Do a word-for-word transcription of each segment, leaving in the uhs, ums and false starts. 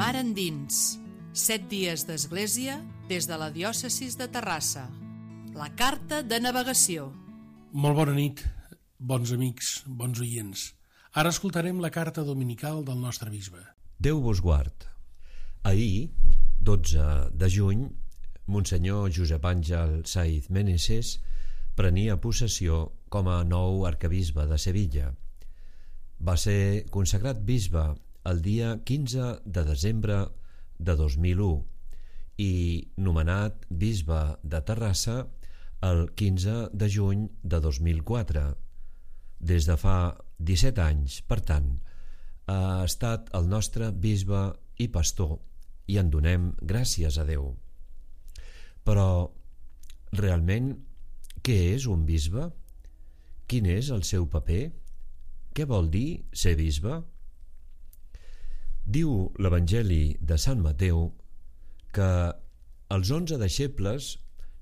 Mar endins, set dies d'església des de la diòcesi de Terrassa. La carta de navegació. Molt bona nit, bons amics, bons oients. Ara escoltarem la carta dominical del nostre bisbe. Déu vos guard. Ahir, dotze de juny, Monsenyor Josep Àngel Saiz Meneses prenia possessió com a nou arquebisbe de Sevilla. Va ser consagrat bisbe el dia quinze de desembre de dos mil u i nomenat bisbe de Terrassa el quinze de juny de dos mil quatre. Des de fa disset anys, per tant, ha estat el nostre bisbe i pastor i en donem gràcies a Déu. Però, realment, què és un bisbe? Quin és el seu paper? Què vol dir ser bisbe? Diu l'Evangeli de Sant Mateu que els onze deixebles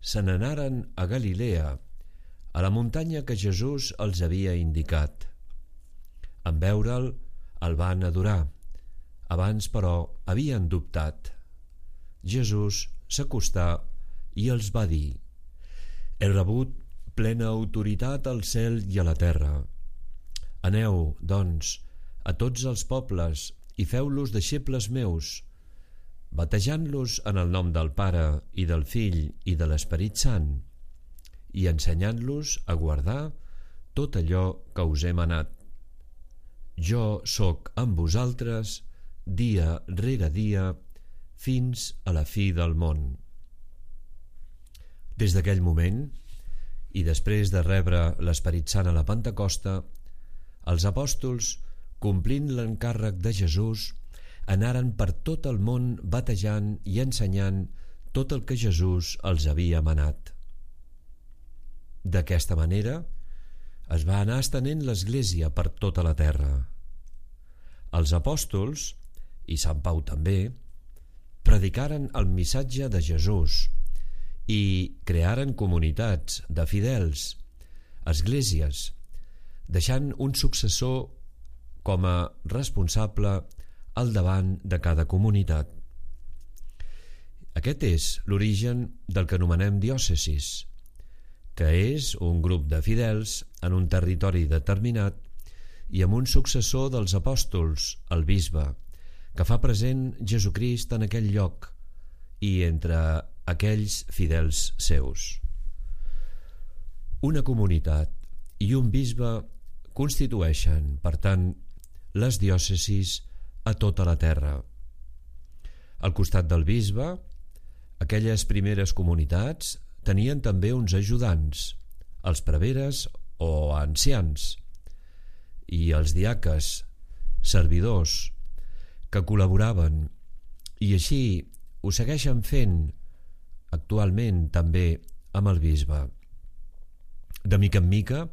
se n'anaren a Galilea, a la muntanya que Jesús els havia indicat. En veure'l, el van adorar. Abans, però, havien dubtat. Jesús s'acostà i els va dir: «He rebut plena autoritat al cel i a la terra. Aneu, doncs, a tots els pobles i feu-los deixebles meus, batejant-los en el nom del Pare i del Fill i de l'Esperit Sant, i ensenyant-los a guardar tot allò que us he manat. Jo sóc amb vosaltres dia rere dia fins a la fi del món». Des d'aquell moment, i després de rebre l'Esperit Sant a la Pentecosta, els apòstols, complint l'encàrrec de Jesús, anaren per tot el món batejant i ensenyant tot el que Jesús els havia manat. D'aquesta manera es va anar estenent l'Església per tota la terra. Els apòstols, i Sant Pau també, predicaren el missatge de Jesús i crearen comunitats de fidels, esglésies, deixant un successor com a responsable al davant de cada comunitat. Aquest és l'origen del que anomenem diòcesis, que és un grup de fidels en un territori determinat i amb un successor dels apòstols, el bisbe, que fa present Jesucrist en aquell lloc i entre aquells fidels seus. Una comunitat i un bisbe constitueixen, per tant, les diòcesis a tota la terra. Al costat del bisbe, aquelles primeres comunitats tenien també uns ajudants, els preveres o ancians, i els diaques, servidors, que col·laboraven, i així ho segueixen fent actualment també amb el bisbe. De mica en mica,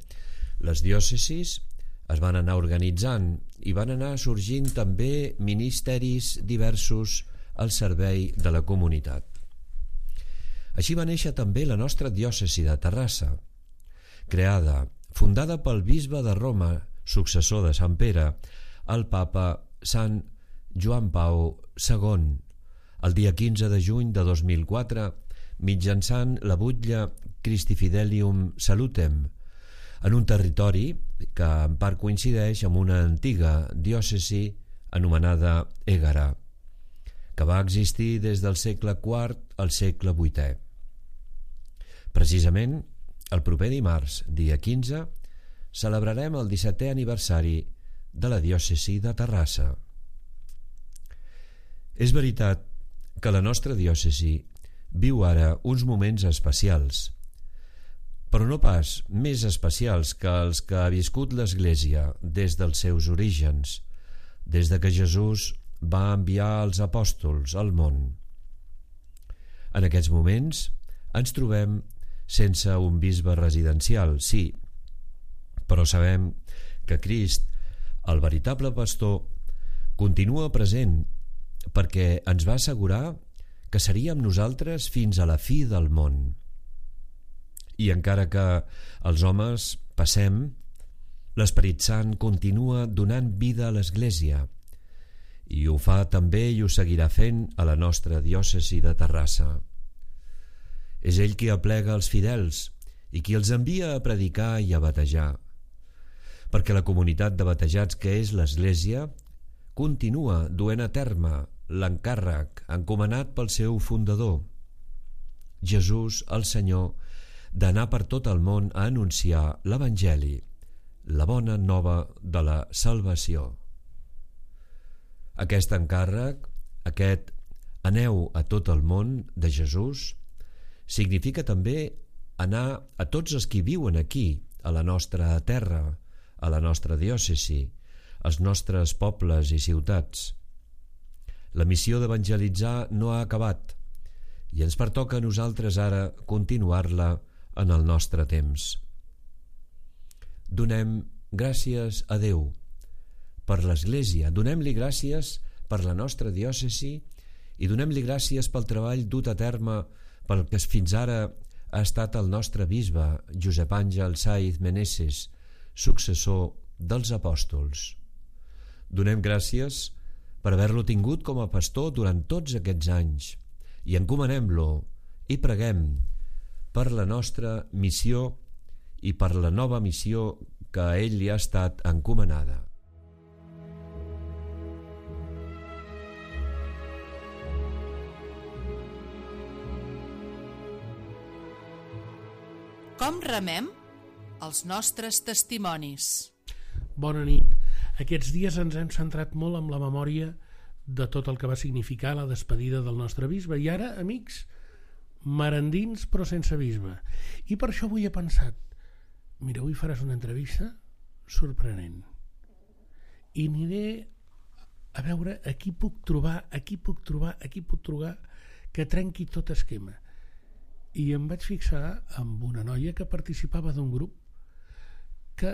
les diòcesis es van anar organitzant i van anar sorgint també ministeris diversos al servei de la comunitat. Així va néixer també la nostra diòcesi de Terrassa, creada, fundada pel bisbe de Roma, successor de Sant Pere, el papa Sant Joan Pau segon, el dia quinze de juny de dos mil quatre, mitjançant la butlla Christi Fidelium Salutem, en un territori que en part coincideix amb una antiga diòcesi anomenada Ègara, que va existir des del segle quart al segle vuitè. Precisament, el proper dimarts, dia quinze, celebrarem el dissetè aniversari de la diòcesi de Terrassa. És veritat que la nostra diòcesi viu ara uns moments especials, però no pas més especials que els que ha viscut l'Església des dels seus orígens, des de que Jesús va enviar els apòstols al món. En aquests moments ens trobem sense un bisbe residencial, sí, però sabem que Crist, el veritable pastor, continua present perquè ens va assegurar que seríem nosaltres fins a la fi del món. I encara que els homes passem, l'Esperit Sant continua donant vida a l'Església i ho fa també i ho seguirà fent a la nostra diòcesi de Terrassa. És ell qui aplega els fidels i qui els envia a predicar i a batejar, perquè la comunitat de batejats que és l'Església continua duent a terme l'encàrrec encomanat pel seu fundador, Jesús el Senyor, d'anar per tot el món a anunciar l'Evangeli, la bona nova de la salvació. Aquest encàrrec, aquest aneu a tot el món de Jesús, significa també anar a tots els qui viuen aquí, a la nostra terra, a la nostra diòcesi, als nostres pobles i ciutats. La missió d'evangelitzar no ha acabat i ens pertoca a nosaltres ara continuar-la en el nostre temps. Donem gràcies a Déu per l'Església, donem-li gràcies per la nostra diòcesi i donem-li gràcies pel treball dut a terme pel que fins ara ha estat el nostre bisbe Josep Àngel Saiz Meneses, successor dels apòstols. Donem gràcies per haver-lo tingut com a pastor durant tots aquests anys i encomanem-lo i preguem per la nostra missió i per la nova missió que a ell li ha estat encomanada. Com remem els nostres testimonis? Bona nit. Aquests dies ens hem centrat molt en la memòria de tot el que va significar la despedida del nostre bisbe. I ara, amics, merendins però sense bisbe. I per això avui he pensat, mira, avui faràs una entrevista sorprenent. I aniré a veure a qui puc trobar, a qui puc trobar, a qui puc trobar que trenqui tot esquema. I em vaig fixar en una noia que participava d'un grup que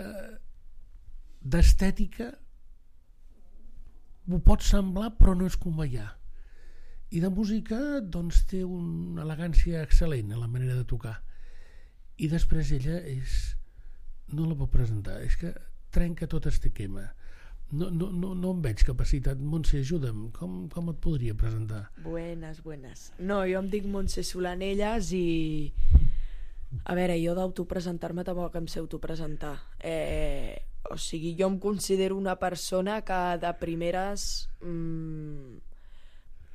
d'estètica ho pot semblar però no és conveiar, i de música doncs té una elegància excel·lent en la manera de tocar, i després ella és, no la puc presentar, és que trenca tot este esquema. No, no, no, no em veig capacitat. Montse, ajuda'm, com, com et podria presentar? Buenas, buenas. No, jo em dic Montse Solanelles i a veure, jo d'autopresentar-me tampoc em sé autopresentar. Eh, o sigui, jo em considero una persona que de primeres mmm,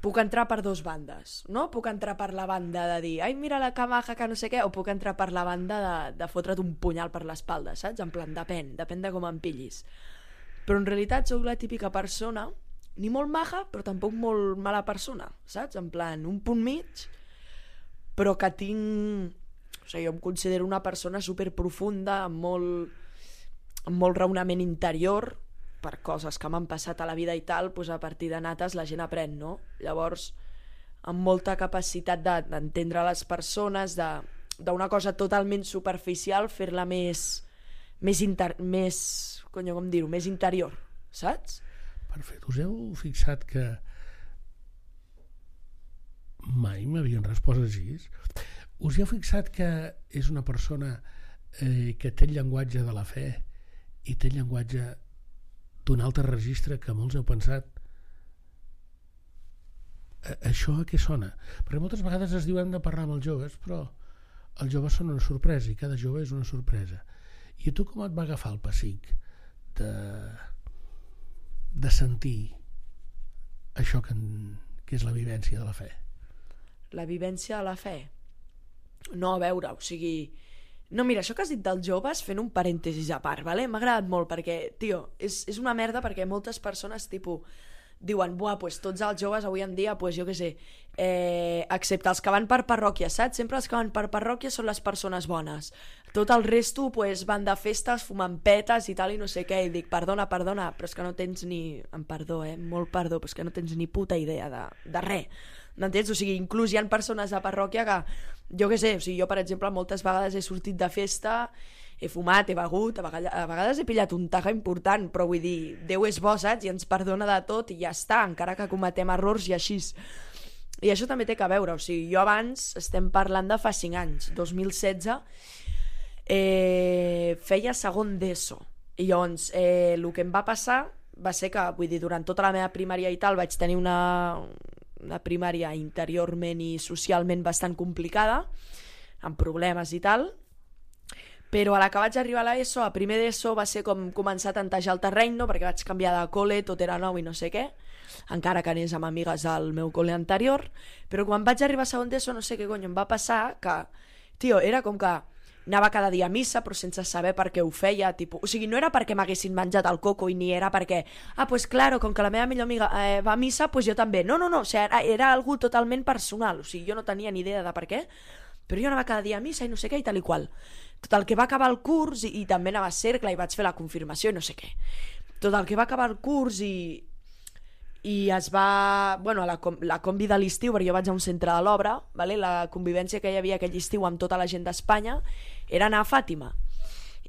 puc entrar per dos bandes, no? Puc entrar per la banda de dir ai, mira la que maja, que no sé què, o puc entrar per la banda de, de fotre't un punyal per l'espalda, saps? En plan, depèn, depèn de com em pillis. Però en realitat sóc la típica persona, ni molt maja, però tampoc molt mala persona, saps? En plan, un punt mig, però que tinc... O sigui, jo em considero una persona superprofunda, amb molt, amb molt raonament interior, per coses que m'han passat a la vida i tal, doncs a partir de nates la gent aprèn, no? Llavors, amb molta capacitat de, d'entendre les persones, de, d'una cosa totalment superficial, fer-la més, més, inter, més, conyo, com dir-ho, més interior, saps? Perfecte. Us heu fixat que mai m'havien respost així? Us heu fixat que és una persona eh, que té el llenguatge de la fe i té el llenguatge d'un altre registre que molts heu pensat això a què sona? Perquè moltes vegades es diu hem de parlar amb els joves, però els joves són una sorpresa i cada jove és una sorpresa. I a tu com et va agafar el pessic de, de sentir això que, que és la vivència de la fe? La vivència de la fe? No, a veure, o sigui... No, mira, això que has dit dels joves, fent un parèntesis a part, vale? M'ha agradat molt perquè, tio, és, és una merda perquè moltes persones, tipus, diuen, buah, pues tots els joves avui en dia, pues jo què sé, eh, excepte els que van per parròquia, saps? Sempre els que van per parròquia són les persones bones. Tot el resto, pues, van de festes, fumant petes i tal i no sé què, i dic, perdona, perdona, però és que no tens ni... Em perdó, eh? Molt perdó, però és que no tens ni puta idea de, de res. M'entens? O sigui, inclús hi ha persones de parròquia que, jo què sé, o sigui, jo per exemple moltes vegades he sortit de festa, he fumat, he begut, a vegades, a vegades he pillat un taja important, però vull dir, Déu és bo, saps? I ens perdona de tot i ja està, encara que cometem errors i així. I això també té que veure, o sigui, jo abans, estem parlant de fa cinc anys, dos mil setze, eh, feia segon d'ESO, i llavors eh, el que em va passar va ser que, vull dir, durant tota la meva primària i tal vaig tenir una, una primària interiorment i socialment bastant complicada, amb problemes i tal, però a la que vaig arribar a l'ESO, a primer d'ESO va ser com començar a tantejar el terreny, no? Perquè vaig canviar de col·le, tot era nou i no sé què, encara que anés amb amigues al meu col·le anterior, però quan vaig arribar a segon d'ESO no sé què cony em va passar, que, tio, era com que anava cada dia a missa però sense saber per què ho feia, tipus, o sigui, no era perquè m'haguessin menjat el coco i ni era perquè, ah, pues claro, com que la meva millor amiga eh, va a missa, pues jo també, no, no, no, o sigui, era, era algo totalment personal, o sigui, jo no tenia ni idea de per què, però jo anava cada dia a missa i no sé què i tal i qual. Tot el que va acabar el curs, i, i també anava a cercle i vaig fer la confirmació i no sé què, tot el que va acabar el curs i i es va, bueno, la, la combi de l'estiu, perquè jo vaig a un centre de l'obra, vale? La convivència que hi havia aquell estiu amb tota la gent d'Espanya era anar a Fàtima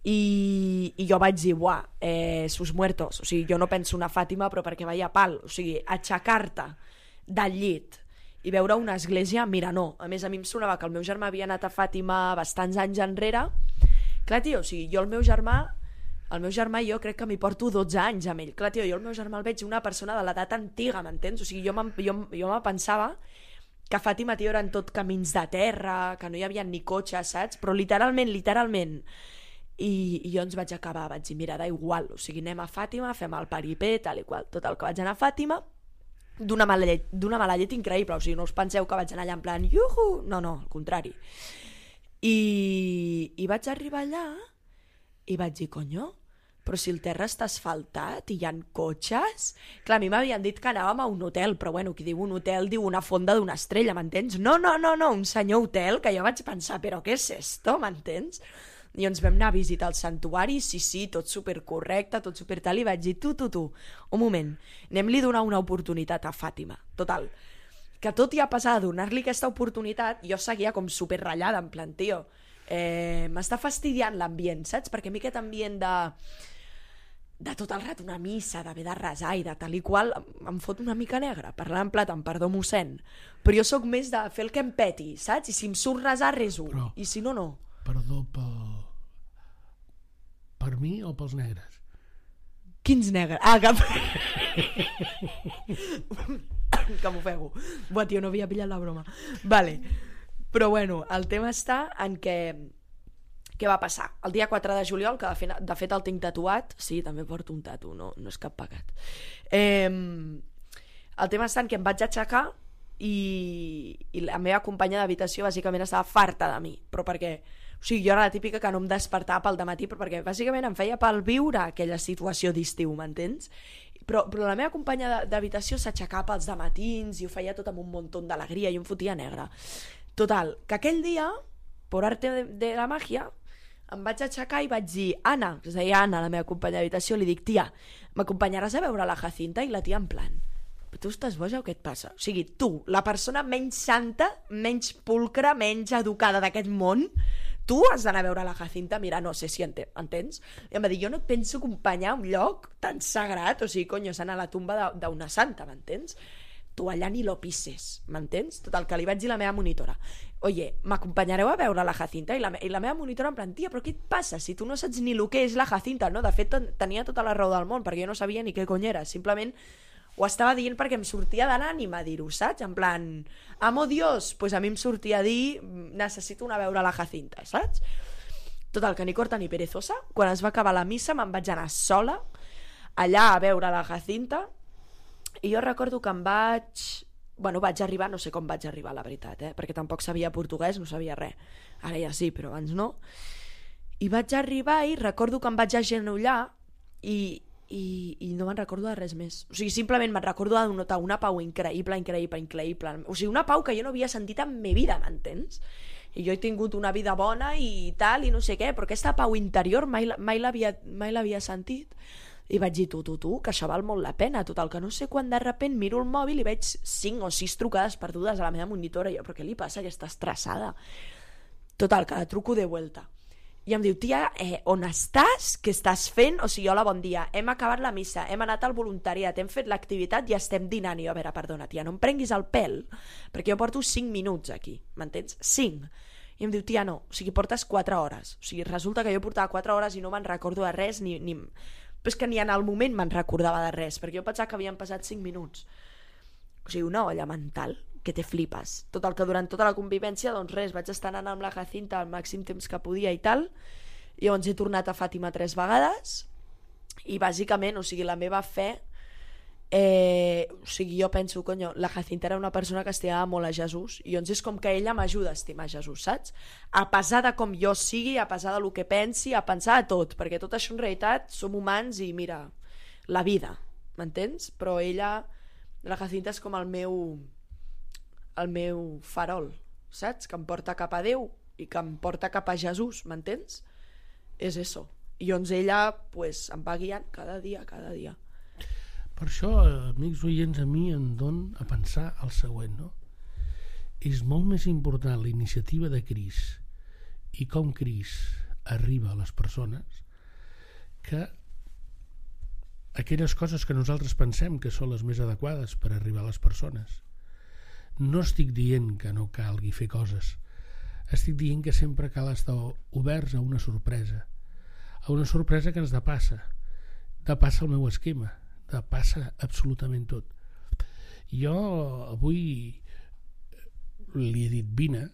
i, i jo vaig dir, buah, eh, sus muertos, o sigui, jo no penso anar a Fàtima però perquè vaya pal, o sigui, aixecar-te del llit i veure una església, mira, no, a més a mi em sonava que el meu germà havia anat a Fàtima bastants anys enrere, clar, tio, o sigui, jo el meu germà El meu germà i jo crec que m'hi porto dotze anys amb ell. Clar, tio, jo el meu germà el veig una persona de l'edat antiga, m'entens? O sigui, jo, jo, jo me pensava que a Fàtima, tio, eren tot camins de terra, que no hi havia ni cotxes, saps? Però literalment, literalment. I, i jo ens vaig acabar, vaig dir, mira, da igual, o sigui, anem a Fàtima, fem el paripé, tal i qual. Total, que vaig anar a Fàtima d'una mala llet, d'una mala llet increïble, o sigui, no us penseu que vaig anar allà en plan, iuhu! No, no, al contrari. I, i vaig arribar allà i vaig dir, conyo, però si el terra està asfaltat i hi ha cotxes... Clar, a mi m'havien dit que anàvem a un hotel, però bueno, qui diu un hotel diu una fonda d'una estrella, m'entens? No, no, no, no, un senyor hotel, que jo vaig pensar, però què és esto, m'entens? I ens vam anar a visitar el santuari, sí, sí, tot supercorrecte, tot supertal, i vaig dir, tu, tu, tu, un moment, anem-li a donar una oportunitat a Fàtima, total. Que tot i a passar a donar-li aquesta oportunitat, jo seguia com superratllada, en plan, tio, eh, m'està fastidiant l'ambient, saps? Perquè a mi aquest ambient de... de tot el rato una missa, d'haver de resar i de tal i qual, em fot una mica negra, parlant en plat, amb perdó mossèn. Però jo sóc més de fer el que em peti, saps? I si em surt resar, reso. Però, i si no, no. Perdó pel... per mi o pels negres? Quins negres? Ah, que... que m'ofego. Buah, tio, no havia pillat la broma. Vale. Però bueno, el tema està en què... Què va passar? El dia quatre de juliol, que de fet, de fet el tinc tatuat, sí, també porto un tatu, no, no és cap pecat. Eh, el tema està en que em vaig aixecar i, i la meva companya d'habitació bàsicament estava farta de mi, però perquè, o sigui, jo era la típica que no em despertava pel dematí, però perquè bàsicament em feia pel viure aquella situació d'estiu, m'entens? Però, però la meva companya d'habitació s'aixecava pels dematins i ho feia tot amb un muntó d'alegria i em fotia negra. Total, que aquell dia, per arte de, de la màgia, em vaig aixecar i vaig dir, Anna, que es deia Anna, la meva companya d'habitació, li dic, tia, m'acompanyaràs a veure la Jacinta? I la tia en plan, però tu estàs boja o què et passa? O sigui, tu, la persona menys santa, menys pulcra, menys educada d'aquest món, tu has d'anar a veure la Jacinta? Mira, no sé si enten, entens? I em va dir, jo no et penso acompanyar a un lloc tan sagrat, o sigui, conyo, s'anà a la tumba d'una santa, m'entens? Tu allà ni lo pises, m'entens? Tot el que li vaig dir a la meva monitora, oye, m'acompanyareu a veure la Jacinta? I la, i la meva monitora en plan, tia, però què et passa? Si tu no saps ni el que és la Jacinta, no? De fet, tenia tota la raó del món, perquè jo no sabia ni què cony era, simplement ho estava dient perquè em sortia de l'ànima dir-ho, saps? En plan, amo Dios, pues a mi em sortia a dir, necessito anar a veure la Jacinta, saps? Total, que ni corta ni perezosa, quan es va acabar la missa me'n vaig anar sola allà a veure la Jacinta. I jo recordo que em vaig... Bueno, vaig arribar, no sé com vaig arribar, la veritat, eh? Perquè tampoc sabia portuguès, no sabia res. Ara ja sí, però abans no. I vaig arribar i recordo que em vaig agenollar i, i, i no me'n recordo de res més. O sigui, simplement me'n recordo de notar una pau increïble, increïble, increïble. O sigui, una pau que jo no havia sentit en ma vida, m'entens? I jo he tingut una vida bona i tal, i no sé què, però aquesta pau interior mai, mai l'havia sentit. I vaig dir, tu, tu, tu, que això val molt la pena. Total, que no sé quan de repent miro el mòbil i veig cinc o sis trucades perdudes a la meva monitora. I jo, però què li passa, que està estressada? Total, que la truco de vuelta. I em diu, tia, eh, on estàs? Què estàs fent? O sigui, hola, bon dia, hem acabat la missa, hem anat al voluntariat, hem fet l'activitat i estem dinant. I jo, a veure, perdona, tia, no em prenguis el pèl, perquè jo porto cinc minuts aquí, m'entens? cinc. I em diu, tia, no, o sigui, portes quatre hores. O sigui, resulta que jo portava quatre hores i no me'n recordo de res, ni... ni... però és que ni en el moment me'n recordava de res, perquè jo pensava que havien passat cinc minuts. O sigui, una olla mental que te flipes. Tot el que durant tota la convivència, doncs res, vaig estar anant amb la Jacinta el màxim temps que podia i tal, i llavors he tornat a Fàtima tres vegades, i bàsicament, o sigui, la meva fe, eh, o sigui, jo penso, conyo, la Jacinta era una persona que estimava molt a Jesús, i llavors és com que ella m'ajuda a estimar Jesús, saps? A pesar de com jo sigui, a pesar de lo que pensi, a pensar a tot, perquè tot això en realitat som humans i mira, la vida, m'entens? Però ella, la Jacinta és com el meu el meu farol, saps? Que em porta cap a Déu i que em porta cap a Jesús, m'entens? És això. I llavors ella pues, em va guiant cada dia, cada dia. Per això, amics oients, a mi em don a pensar el següent, no? És molt més important la iniciativa de Crist i com Crist arriba a les persones que aquelles coses que nosaltres pensem que són les més adequades per arribar a les persones. No estic dient que no calgui fer coses, estic dient que sempre cal estar oberts a una sorpresa, a una sorpresa que ens depassa, depassa el meu esquema, depassa absolutament tot. Jo avui li he dit vine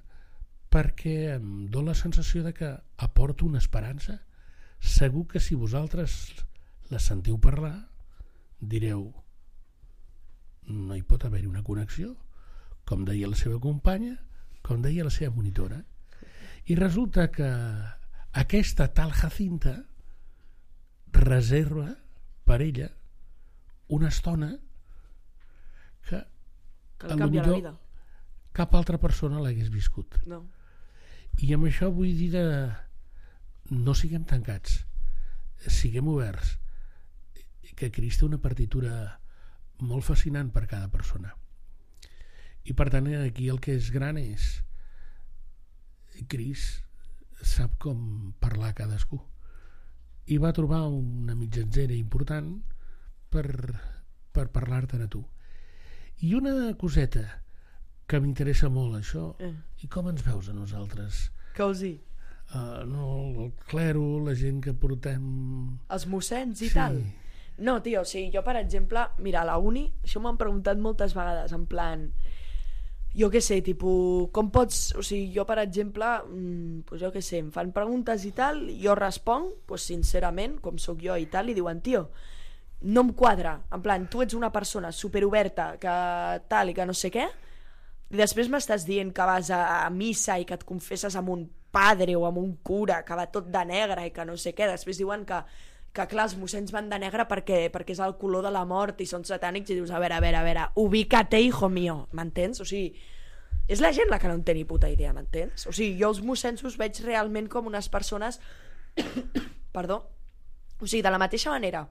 perquè em dóna la sensació de que aporto una esperança. Segur que si vosaltres la sentiu parlar, direu no hi pot haver-hi una connexió, com deia la seva companya, com deia la seva monitora. I resulta que aquesta tal Jacinta reserva per ella una estona que, que li canvia la vida. Cap altra persona l'hagués viscut. No. I amb això vull dir de no siguem tancats, siguem oberts, que Crist té una partitura molt fascinant per cada persona. I per tant aquí el que és gran és Crist sap com parlar a cadascú i va trobar una mitjanzera important per, per parlar-te'n a tu. I una coseta que m'interessa molt això, eh. I com ens veus a nosaltres? Què vols dir? Uh, no, el clero, la gent que portem... Els mossens i sí. tal? No, tio, o sigui, jo per exemple, mira, a la uni, això m'han preguntat moltes vegades, en plan... Jo què sé, tipus, com pots... O sigui, jo, per exemple, mmm, pues jo què sé, em fan preguntes i tal, jo responc, pues, sincerament, com sóc jo i tal, i diuen, tio, no em quadra. En plan, tu ets una persona superoberta, que tal i que no sé què, i després m'estàs dient que vas a, a missa i que et confesses amb un padre o amb un cura que va tot de negre i que no sé què. Després diuen que, que clar, els mossens van de negre perquè, perquè és el color de la mort i són satànics, i dius, a veure, a veure, a veure, ubícate, hijo mío, m'entens? O sigui, és la gent la que no en té ni puta idea, m'entens? O sigui, jo els mossens us veig realment com unes persones perdó, o sigui, de la mateixa manera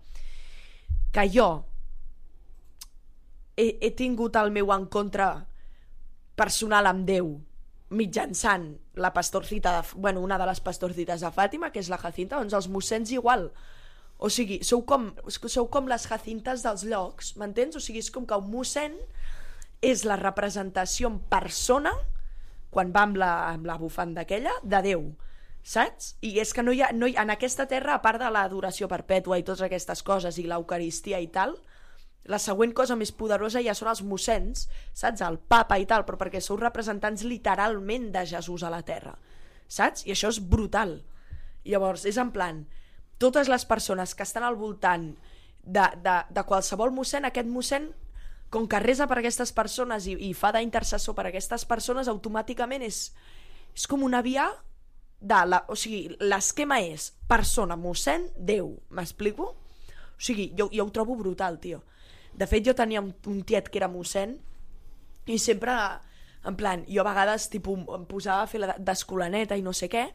que jo he, he tingut el meu encontre personal amb Déu mitjançant la pastorcita de, bueno, una de les pastorcites de Fàtima, que és la Jacinta, doncs els mossens igual. O sigui, sou com, sou com les Jacintes dels llocs, m'entens? O sigui, és com que un mossèn és la representació en persona, quan va amb la, amb la bufanda aquella, de Déu, saps? I és que no hi ha, no hi ha, en aquesta terra, a part de l'adoració perpètua i totes aquestes coses, i l'eucaristia i tal, la següent cosa més poderosa ja són els mossens, saps? El papa i tal, però perquè sou representants literalment de Jesús a la terra, saps? I això és brutal. Llavors, és en plan, totes les persones que estan al voltant de, de, de qualsevol mossèn, aquest mossèn, com que resa per aquestes persones i, i fa d'intercessor per aquestes persones, automàticament és, és com una via de la, o sigui, l'esquema és persona, mossèn, Déu, m'explico? O sigui, jo, jo ho trobo brutal, tio. De fet, jo tenia un, un tiet que era mossèn i sempre, en plan, jo a vegades tipus, em posava a fer d'escolaneta i no sé què,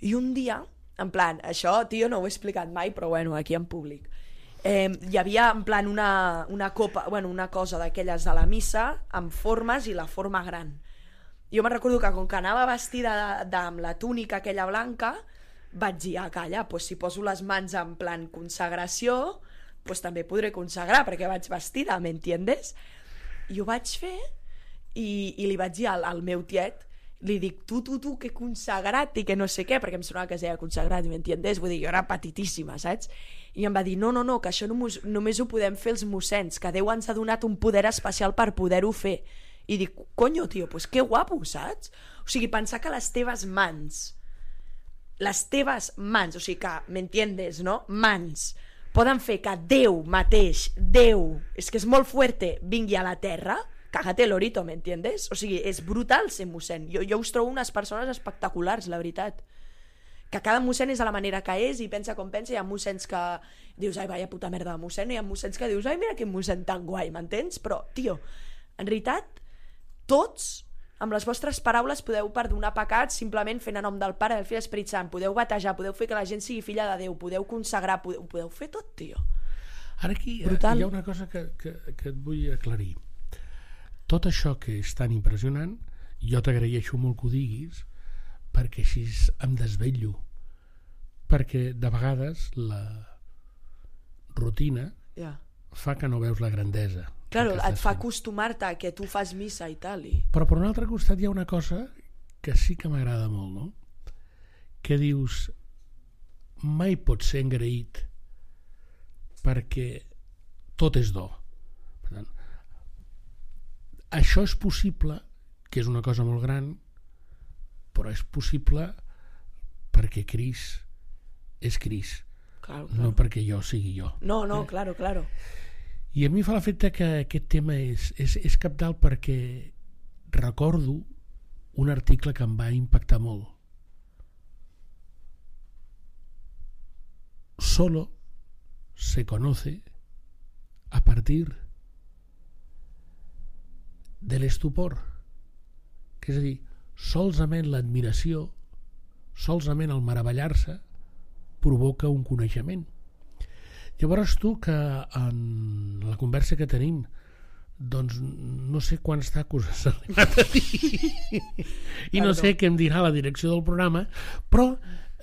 i un dia, en plan, això, tio, no ho he explicat mai, però bueno, aquí en públic, eh, hi havia, en plan, una, una copa, bueno, una cosa d'aquelles de la missa, amb formes i la forma gran. Jo me'n recordo que com que anava vestida de, de, amb la túnica aquella blanca, vaig dir, ah, calla, pues si poso les mans en plan consagració, pues també podré consagrar, perquè vaig vestida, m'entiendes? I ho vaig fer i, i li vaig dir al, al meu tiet, li dic, tu, tu, tu, que consagrat i que no sé què, perquè em sonava que es deia consagrat, m'entiendes? Vull dir, jo era petitíssima, saps? I em va dir, no, no, no, que això només, només ho podem fer els mossens, que Déu ens ha donat un poder especial per poder-ho fer. I dic, conyo, tio, pues que guapo, saps? O sigui, pensar que les teves mans, les teves mans, o sigui que, m'entiendes, no? Mans, poden fer que Déu mateix, Déu, és que és molt fuerte, vingui a la terra, cágate el orito, ¿m'entiendes? O sigui, és brutal ser mossèn. Jo, jo us trobo unes persones espectaculars, la veritat. Que cada mossèn és a la manera que és i pensa com pensa. Hi ha mossèns que dius, ai, vaya puta merda de mossèn, i hi ha mossèns que dius, ai, mira quin mossèn tan guai, m'entens? Però, tio, en realitat, tots, amb les vostres paraules, podeu perdonar pecats simplement fent a nom del Pare, del Fill i l'Esperit Sant. Podeu batejar, podeu fer que la gent sigui filla de Déu, podeu consagrar, podeu, podeu fer tot, tio. Ara aquí Brutal. Hi ha una cosa que, que, que et vull aclarir. Tot això que és tan impressionant, jo t'agraeixo molt que ho diguis, perquè així em desvetllo. Perquè de vegades la rutina Yeah. fa que no veus la grandesa. Claro, que et estàs fa fent. acostumar-te a que tu fas missa i tal. I... Però per un altre costat hi ha una cosa que sí que m'agrada molt, no? Que dius, mai pots ser engraït perquè tot és do. Per tant, això és possible, que és una cosa molt gran, però és possible perquè Cris és Cris, Claro, claro. no perquè jo sigui jo. No, no, claro, claro. I a mi fa l'efecte que aquest tema és, és, és cabdal perquè recordo un article que em va impactar molt. Solo se conoce a partir de l'estupor, que és a dir, solament l'admiració, solament el meravellar-se provoca un coneixement. Llavors tu, que en la conversa que tenim, doncs no sé quants tacos has arribat a dir i no sé què em dirà la direcció del programa, però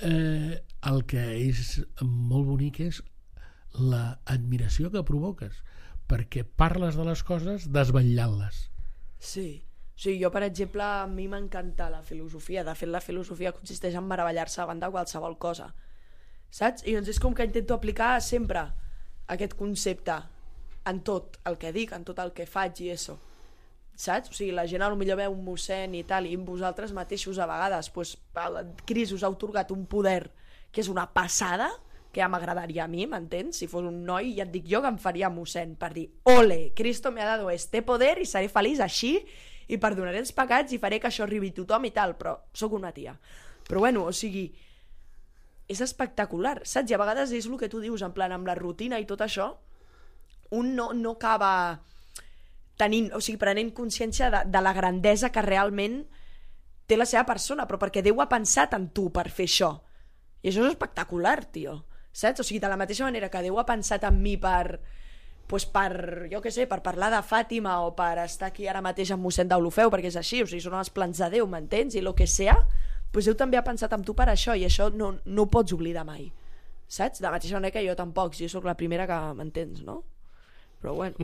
eh, el que és molt bonic és l'admiració que provoques, perquè parles de les coses desvetllant-les. Sí. Sí, jo, per exemple, a mi m'encanta la filosofia. De fet, la filosofia consisteix en meravellar-se davant de qualsevol cosa. Saps? I doncs és com que intento aplicar sempre aquest concepte en tot el que dic, en tot el que faig i això. Saps? O sigui, la gent potser veu un mossèn i tal, i vosaltres mateixos a vegades, doncs, el Cris us ha atorgat un poder que és una passada, que ja m'agradaria a mi, m'entens? Si fos un noi, ja et dic jo que em faria mossèn per dir, ole, Cristo me ha dado este poder i seré feliç així, i perdonaré els pecats i faré que això arribi a tothom i tal, però sóc una tia. Però bueno, o sigui, és espectacular, saps? I a vegades és el que tu dius, en plan, amb la rutina i tot això, un no, no acaba tenint, o sigui, prenent consciència de, de la grandesa que realment té la seva persona, però perquè Déu ha pensat en tu per fer això. I això és espectacular, tio. Saps? O sigui, de la mateixa manera que Déu ha pensat en mi per... Pues per, jo què sé, per parlar de Fàtima o per estar aquí ara mateix amb mossèn d'Olofeu, perquè és així, o sigui, són els plans de Déu, m'entens? I el que sea, pues Déu també ha pensat en tu per això, i això no, no ho pots oblidar mai, saps? De la mateixa manera que jo tampoc, jo sóc la primera que m'entens, no? Però bueno.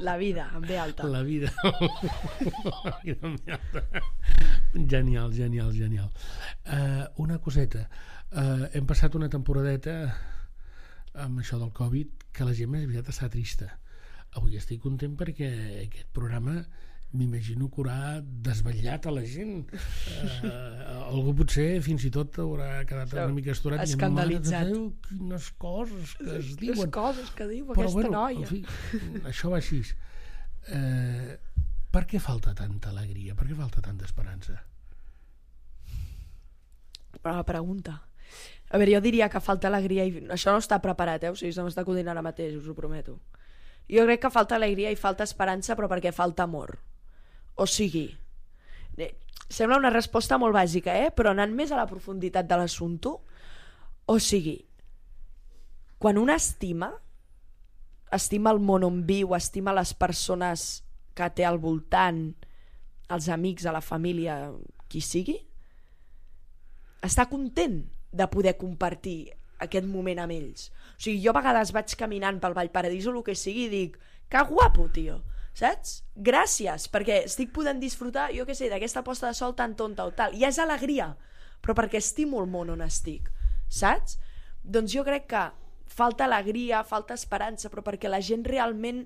La vida, en ve alta. La vida. La vida en ve alta. Genial, genial, genial. Uh, una coseta. Uh, hem passat una temporadeta amb això del Covid que la gent, més aviat, està trista. Avui estic content perquè aquest programa m'imagino que haurà desvetllat a la gent. Uh, algú potser fins i tot haurà quedat una mica estorat, escandalitzat. Déu, quines coses que es diuen. Les coses que diu Però, aquesta bueno, noia. En fi, això va així. Uh, per què falta tanta alegria? Per què falta tanta esperança? Però la pregunta... A veure, jo diria que falta alegria i... Això no està preparat, eh? O sigui, se m'està acudint ara mateix, us ho prometo. Jo crec que falta alegria i falta esperança, però perquè falta amor. O sigui... Sembla una resposta molt bàsica, eh? Però anant més a la profunditat de l'assumpte, o sigui... Quan un estima, estima el món on viu, estima les persones que té al voltant, els amics, a la família, qui sigui, està content de poder compartir aquest moment amb ells. O sigui, jo a vegades vaig caminant pel Vallparadís o el que sigui i dic, que guapo, tio. saps? Gràcies, perquè estic podent disfrutar, jo què sé, d'aquesta posta de sol tan tonta o tal. Ja és alegria, però perquè estimo el món on estic, saps? Doncs jo crec que falta alegria, falta esperança, però perquè la gent realment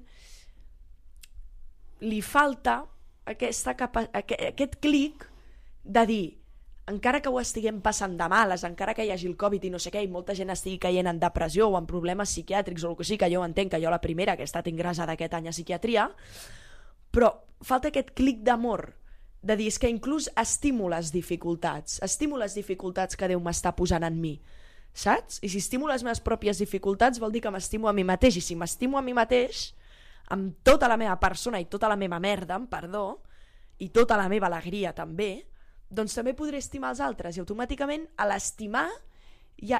li falta aquesta capa- aquest, aquest clic de dir, encara que ho estiguem passant de males, encara que hi hagi el Covid i no sé què, i molta gent estigui caient en depressió o en problemes psiquiàtrics o el que sigui, que jo entenc que jo la primera que he estat ingressada aquest any a psiquiatria, però falta aquest clic d'amor, de dir, és que inclús estimo les dificultats, estimo les dificultats que Déu m'està posant en mi, saps? I si estimo les meves pròpies dificultats vol dir que m'estimo a mi mateix, i si m'estimo a mi mateix, amb tota la meva persona i tota la meva merda, amb perdó, i tota la meva alegria també, doncs també podré estimar els altres, i automàticament a l'estimar ja,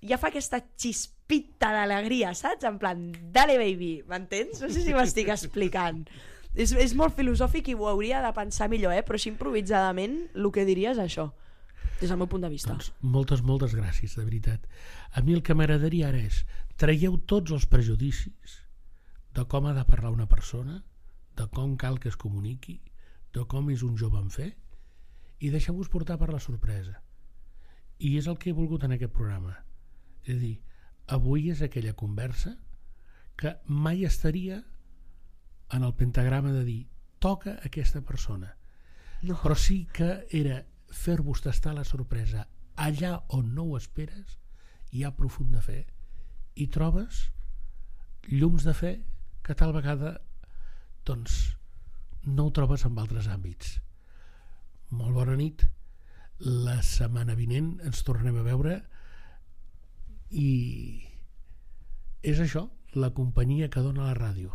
ja fa aquesta xispita d'alegria, saps? En plan, dale baby, m'entens? No sé si m'estic explicant. És, és molt filosòfic i ho hauria de pensar millor, eh? Però així improvisadament el que diria és això, des del meu punt de vista. Doncs moltes, moltes gràcies, de veritat. A mi el que m'agradaria ara és traieu tots els prejudicis de com ha de parlar una persona, de com cal que es comuniqui, de com és un jove en fer, i deixeu-vos portar per la sorpresa. I és el que he volgut en aquest programa. És a dir, avui és aquella conversa que mai estaria en el pentagrama de dir toca aquesta persona. No. Però sí que era fer-vos tastar la sorpresa allà on no ho esperes, hi ha profunda fe i trobes llums de fe que tal vegada doncs no ho trobes en altres àmbits. Molt bona nit. La setmana vinent ens tornem a veure i és això, la companyia que dona la ràdio.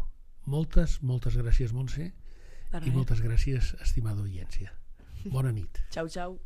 Moltes, moltes gràcies, Montse, i moltes gràcies, estimada audiència. Bona nit. Ciao, ciao.